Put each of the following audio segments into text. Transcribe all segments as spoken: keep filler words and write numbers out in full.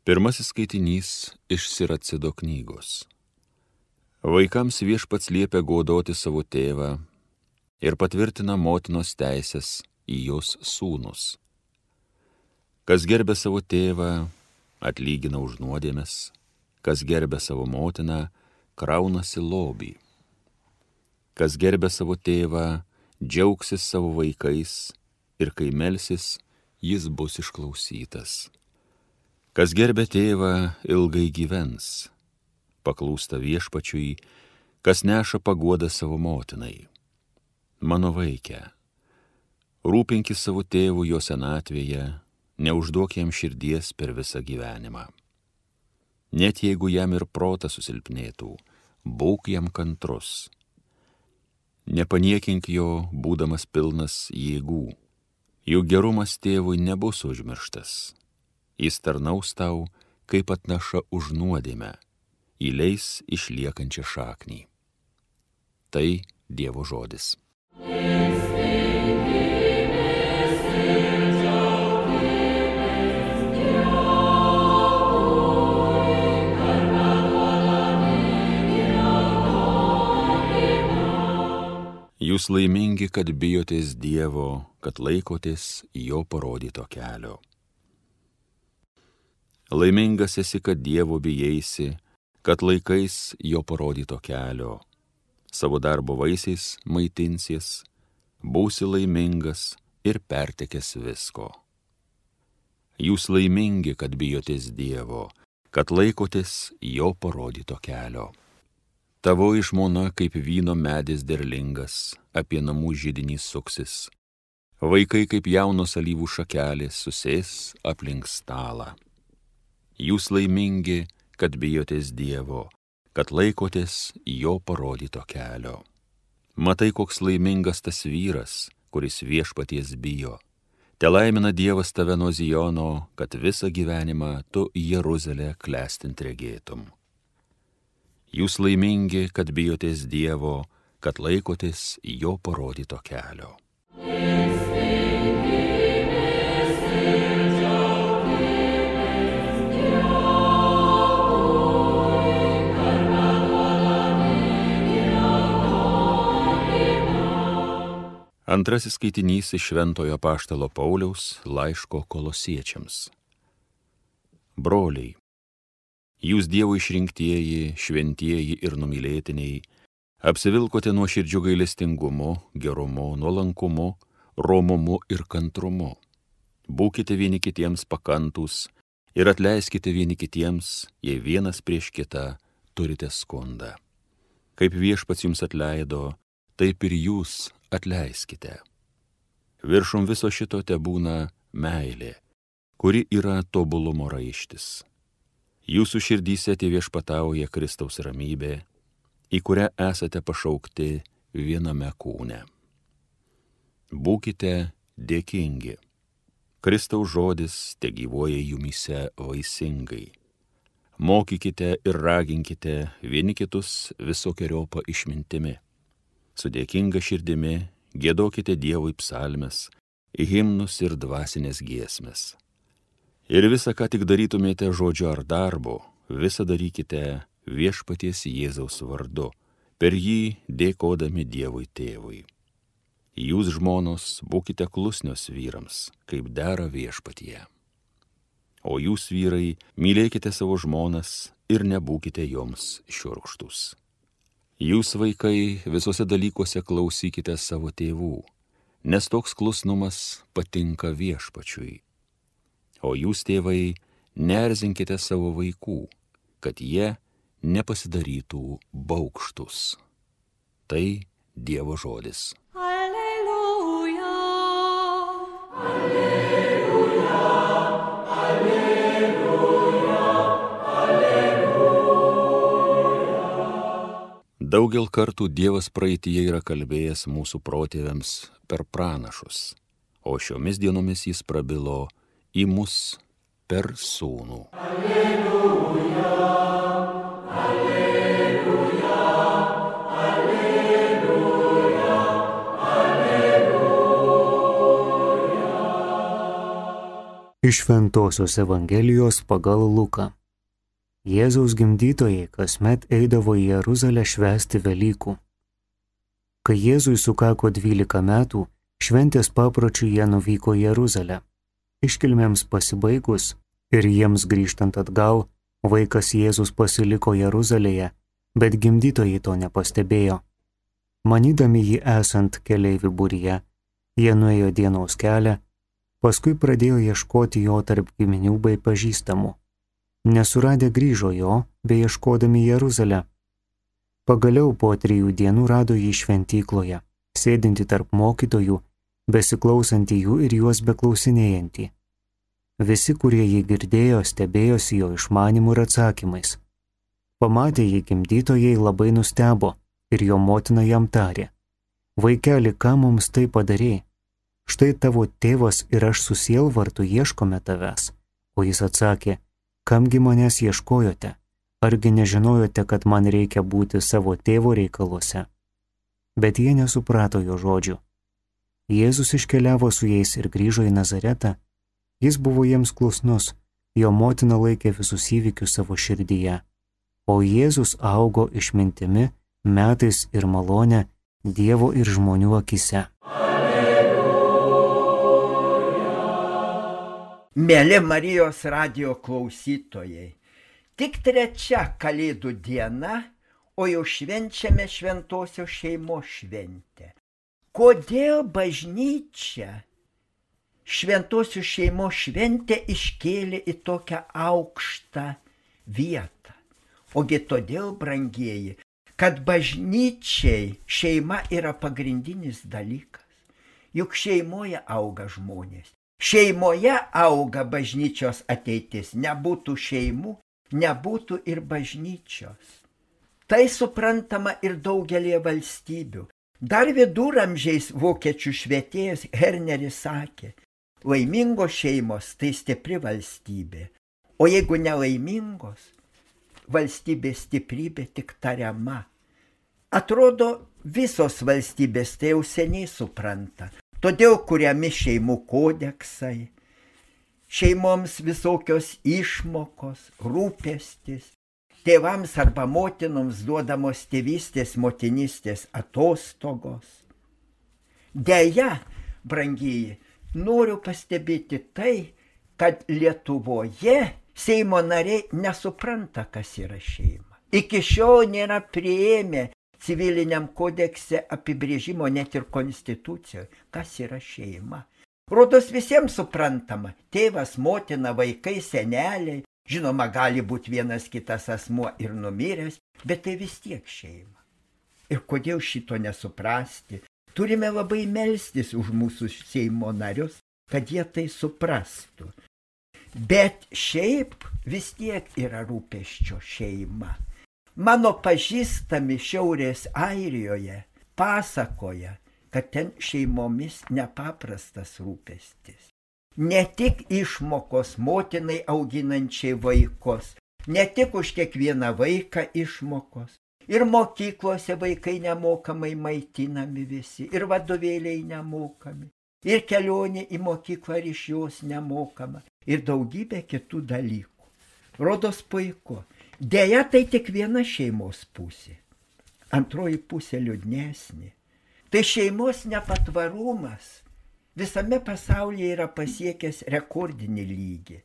Pirmasis skaitinys iš Siracido knygos. Vaikams viešpats liepia godoti savo tėvą ir patvirtina motinos teisės į jos sūnus. Kas gerbia savo tėvą, atlygina už nuodėmes, kas gerbia savo motiną, kraunasi lobį. Kas gerbia savo tėvą, džiaugsis savo vaikais ir kai melsis, jis bus išklausytas. Kas gerbia tėvą, ilgai gyvens, paklūsta viešpačiui, kas neša paguodą savo motinai. Mano vaike, rūpinkis savo tėvų jo senatvėje, neužduok jam širdies per visą gyvenimą. Net jeigu jam ir protas susilpnėtų, būk jam kantrus. Nepaniekink jo, būdamas pilnas jėgų, juk gerumas tėvui nebus užmirštas. Jis tarnaus tau, kaip atnaša už nuodėmę, įleis išliekančią šaknį. Tai Dievo žodis. Jūs laimingi, kad bijotės Dievo, kad laikotės jo parodyto kelio. Laimingas esi, kad Dievo bijaisi, kad laikais jo parodyto kelio. Savo darbo vaisiais maitinsies, būsi laimingas ir pertekęs visko. Jūs laimingi, kad bijotės Dievo, kad laikotės jo parodyto kelio. Tavoji žmona kaip vyno medis derlingas, apie namų židinį suksis. Vaikai kaip jaunos alyvų šakelės susės aplink stalą. Jūs laimingi, kad bijotės Dievo, kad laikotės jo parodyto kelio. Matai, koks laimingas tas vyras, kuris viešpaties bijo. Te laimina Dievas tave nuo Zijono, kad visą gyvenimą tu Jeruzalę klestint regėtum. Jūs laimingi, kad bijotės Dievo, kad laikotės jo parodyto kelio. Antrasis skaitinys iš Šventojo apaštalo Pauliaus laiško Kolosiečiams. Broliai, jūs Dievo išrinktieji, šventieji ir numylėtiniai, apsivilkote nuoširdžiu gailestingumu, gerumu, nuolankumu, romumu ir kantrumu. Būkite vieni kitiems pakantūs ir atleiskite vieni kitiems, jei vienas prieš kitą turite skundą. Kaip viešpats jums atleido, taip ir jūs atleiskite. Viršum viso šito tebūna meilė, kuri yra tobulumo raištis. Jūsų širdyse viešpatauja Kristaus ramybė, į kurią esate pašaukti viename kūne. Būkite dėkingi. Kristaus žodis tegyvuoja jumyse vaisingai. Mokykite ir raginkite vieni kitus visokeriopą išmintimi. Su dėkinga širdimi giedokite Dievui psalmes, himnus ir dvasinės giesmes. Ir visą, ką tik darytumėte žodžiu ar darbu, visą darykite viešpaties Jėzaus vardu, per jį dėkodami Dievui tėvui. Jūs, žmonos, būkite klusnios vyrams, kaip dera viešpatyje. O jūs, vyrai, mylėkite savo žmonas ir nebūkite joms šiurkštūs. Jūs, vaikai, visose dalykuose klausykite savo tėvų, nes toks klusnumas patinka viešpačiui. O jūs, tėvai, neerzinkite savo vaikų, kad jie nepasidarytų baugštūs. Tai Dievo žodis. Alleluja, alleluja, alleluja, alleluja. Daugel kartų Dievas praeityje yra kalbėjęs mūsų protėviams per pranašus, o šiomis dienomis jis prabilo į mus per sūnų. Alleluja, alleluja, alleluja, alleluja. Iš Šventosios Evangelijos pagal Luką. Jėzaus gimdytojai kasmet eidavo į Jeruzalę švęsti Velykų. Kai Jėzui sukako dvylika metų, šventės papročiu jie nuvyko į Jeruzalę. Iškilmėms pasibaigus ir jiems grįžtant atgal, vaikas Jėzus pasiliko Jeruzalėje, bet gimdytojai to nepastebėjo. Manydami jį esant keleivių būryje, jie nuėjo dienos kelią, paskui pradėjo ieškoti jo tarp giminių bei pažįstamų. Nesuradę grįžo jo, bei ieškodami Jeruzalę. Pagaliau po trijų dienų rado jį šventykloje, sėdinti tarp mokytojų, besiklausantį jų ir juos beklausinėjantį. Visi, kurie jį girdėjo, stebėjosi jo išmanimu ir atsakymais. Pamatę jį gimdytojai labai nustebo ir jo motina jam tarė: Vaikeli, ką mums tai padarei? Štai tavo tėvas ir aš su sielvartu ieškome tavęs. O jis atsakė: Kamgi manęs ieškojote? Argi nežinojote, kad man reikia būti savo tėvo reikaluose? Bet jie nesuprato jo žodžių. Jėzus iškeliavo su jais ir grįžo į Nazaretą. Jis buvo jiems klusnus, jo motina laikė visus įvykius savo širdyje. O Jėzus augo išmintimi, metais ir malone Dievo ir žmonių akise. Mėly Marijos radijo klausytojai, tik trečia Kalėdų diena, o jau švenčiame šventosios šeimos šventę. Kodėl bažnyčia šventosios šeimos šventę iškėlė į tokią aukštą vietą? Ogi todėl, brangieji, kad bažnyčiai šeima yra pagrindinis dalykas. Juk šeimoje auga žmonės. Šeimoje auga bažnyčios ateitis. Nebūtų šeimų, nebūtų ir bažnyčios. Tai suprantama ir daugelį valstybių. Dar viduramžiais vokiečių švietėjas Herneris sakė: laimingos šeimos tai stipri valstybė, o jeigu nelaimingos, valstybės stiprybė tik tariama. Atrodo, visos valstybės tai jau seniai supranta. Todėl kuriami šeimų kodeksai, šeimoms visokios išmokos, rūpestis, tėvams arba motinoms duodamos tėvystės, motinystės atostogos. Deja, brangieji, noriu pastebėti tai, kad Lietuvoje Seimo nariai nesupranta, kas yra šeima. Iki šiol nėra priėmę civiliniam kodekse apibrėžimo, net ir konstitucijoje, kas yra šeima. Rodos visiems suprantama: tėvas, motina, vaikai, seneliai, žinoma, gali būti vienas kitas asmuo ir numiręs, bet tai vis tiek šeima. Ir kodėl šito nesuprasti? Turime labai melstis už mūsų Seimo narius, kad jie tai suprastų. Bet šiaip vis tiek yra rūpesčio šeima. Mano pažįstami Šiaurės Airijoje pasakoja, kad ten šeimomis nepaprastas rūpestis. Ne tik išmokos motinai auginančiai vaikus, ne tik už kiekvieną vaiką išmokos, ir mokyklose vaikai nemokamai maitinami visi, ir vadovėliai nemokami, ir kelionė į mokyklą ir iš jos nemokama, ir daugybė kitų dalykų. Rodos puiku. Deja, tai tik viena šeimos pusė. Antroji pusė liūdnesnė. Tai šeimos nepatvarumas visame pasaulyje yra pasiekęs rekordinį lygį.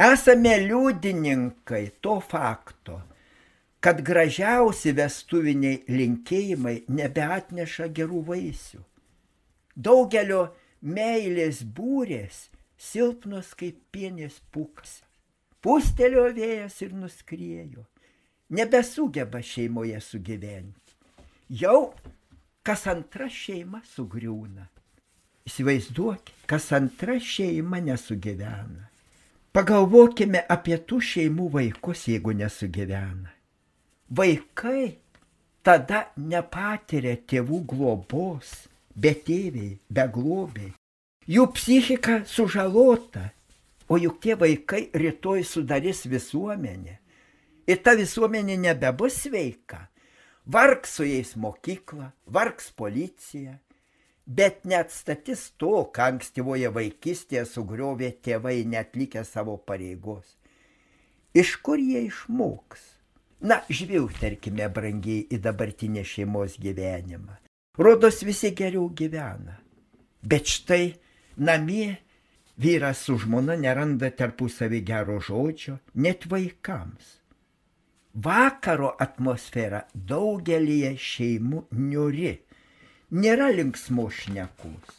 Esame liudininkai to fakto, kad gražiausi vestuviniai linkėjimai nebeatneša gerų vaisių. Daugelio meilės būrės silpnos kaip pienės pūkas. Pūstelėjo vėjas ir nuskriejo. Nebesugeba šeimoje sugyventi. Jau kas antra šeima sugriūna. Įsivaizduokit, kas antra šeima nesugyvena. Pagalvokime apie tų šeimų vaikus, jeigu nesugyvena. Vaikai tada nepatiria tėvų globos, betėviai, beglobiai. Jų psichika sužalota. O juk tie vaikai rytoj sudarys visuomenę. Ir ta visuomenė nebebus sveika. Vargs su jais mokykla, vargs policija. bet neatstatys to, ką ankstyvoje vaikystėje sugriovė tėvai neatlikę savo pareigos. Iš kur jie išmoks? Na, žvilgterkime, brangiai, į dabartinę šeimos gyvenimą. Rodos visi geriau gyvena. Bet štai namie vyras su žmona neranda tarpusavį gero žodžio, net vaikams. Vakaro atmosfera daugelyje šeimų niūri, nėra linksmos šnekos.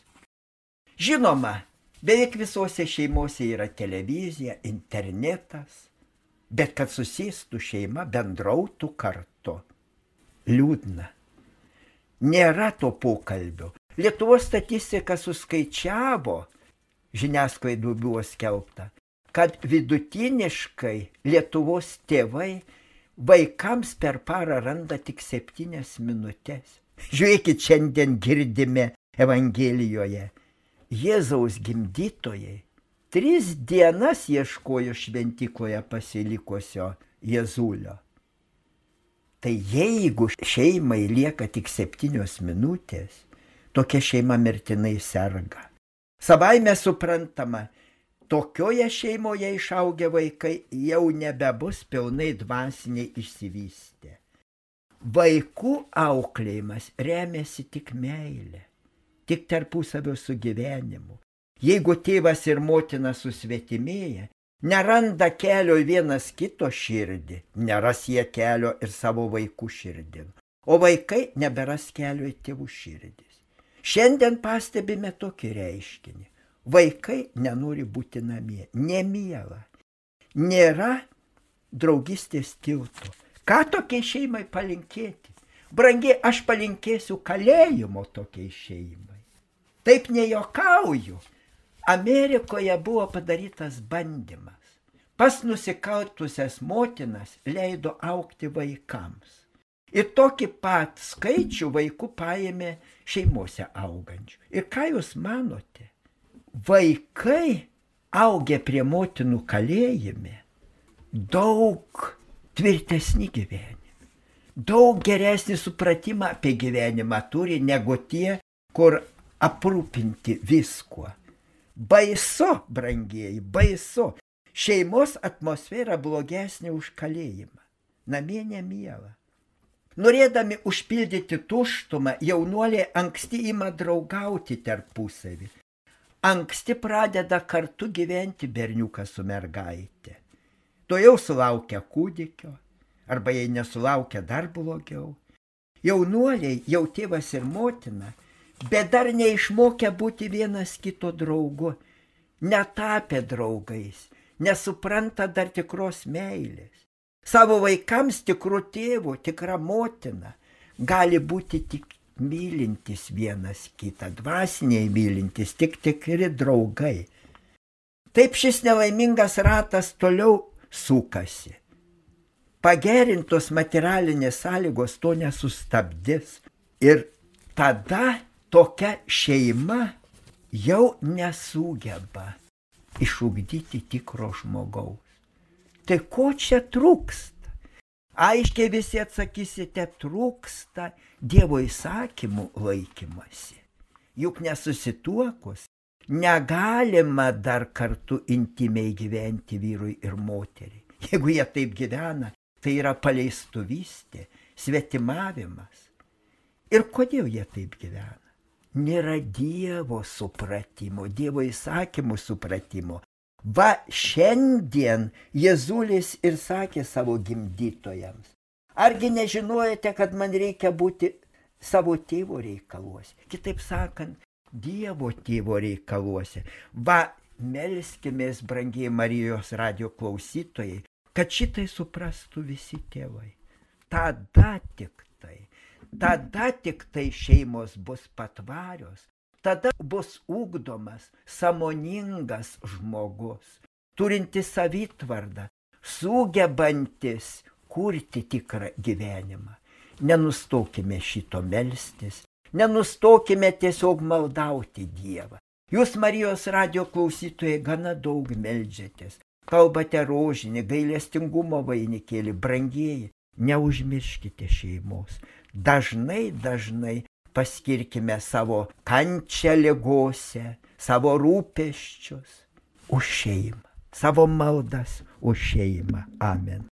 Žinoma, beveik visose šeimose yra televizija, internetas, bet kad susėstų šeima, bendrautų kartu. Liūdna. Nėra to pokalbio. Lietuvos statistika suskaičiavo, žiniasklaidų buvo skelbta, kad vidutiniškai Lietuvos tėvai vaikams per parą randa tik septynias minutės. Žiūrėkit, šiandien girdime Evangelijoje. Jėzaus gimdytojai tris dienas ieškojo šventykloje pasilikusio Jėzulio. Tai jeigu šeimai lieka tik septynios minutės, tokia šeima mirtinai serga. Savaime suprantama, tokioje šeimoje išaugę vaikai jau nebebus pilnai dvasiniai išsivystę. Vaikų auklėjimas remiasi tik meilė, tik tarpusavio sugyvenimu. Jeigu tėvas ir motina susvetimėja, neranda kelio į vienas kito širdį, neras jie kelio ir savo vaikų širdin, o vaikai neberas kelio į tėvų širdis. Šiandien pastebime tokį reiškinį. Vaikai nenori būti namie, nemiela. Nėra draugystės tilto. Ką tokiai šeimai palinkėti? Brangiai, aš palinkėsiu kalėjimo tokiai šeimai. Taip nejokauju. Amerikoje buvo padarytas bandymas. Pas nusikaltusias motinas leido augti vaikams. Ir tokį pat skaičių vaikų paėmė šeimose augančių. Ir ką jūs manote? Vaikai augę prie motinų kalėjime daug tvirtesnį gyvenimą, daug geresnį supratimą apie gyvenimą turi negu tie, kur aprūpinti viskuo. Baisu, brangieji, baisu. Šeimos atmosfera blogesnė už kalėjimą. Namie nemiela. Norėdami užpildyti tuštumą, jaunuoliai anksti ima draugauti tarpusavį. Anksti pradeda kartu gyventi berniukas su mergaitė. To jau sulaukia kūdikio, arba jei nesulaukia dar blogiau. Jaunuoliai, jau tėvas ir motina, bet dar neišmokę būti vienas kito draugu, netapę draugais, nesupranta dar tikros meilės. Savo vaikams tikrų tėvų, tikra motina gali būti tik mylintis vienas kitą, dvasiniai mylintis, tik tikri draugai. Taip šis nelaimingas ratas toliau sukasi. Pagerintos materialinės sąlygos to nesustabdys. Ir tada tokia šeima jau nesugeba išugdyti tikro žmogaus. Tai ko čia trūksta? Aiškiai visi atsakysite, trūksta Dievo įsakymų laikymasi. Juk nesusituokus negalima dar kartu intimiai gyventi vyrui ir moteriai. Jeigu jie taip gyvena, tai yra paleistuvystė, svetimavimas. Ir kodėl jie taip gyvena? Nėra Dievo supratimo, Dievo įsakymų supratimo. Va šiandien Jėzulis ir sakė savo gimdytojams. Argi nežinojate, kad man reikia būti savo tėvo reikaluose? Kitaip sakant, Dievo tėvo reikaluose. Va, melskimės, brangiai Marijos radijo klausytojai, kad šitai suprastų visi tėvai. Tada tik tai, tada tik tai šeimos bus patvarios. Tada bus ugdomas sąmoningas žmogus, turintis savitvardą, sugebantis kurti tikrą gyvenimą. Nenustokime šito melstis, nenustokime tiesiog maldauti Dievą. Jūs, Marijos radijo klausytojai, gana daug meldžiatės, kalbate rožinį, gailestingumo vainikėlį, brangieji, neužmirškite šeimos. Dažnai, dažnai paskirkime savo kančią ligose, savo rūpesčius už šeimą, savo maldas už šeimą. Amen.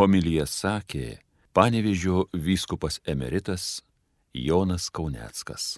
Homiliją sakė Panevėžio vyskupas emeritas Jonas Kauneckas.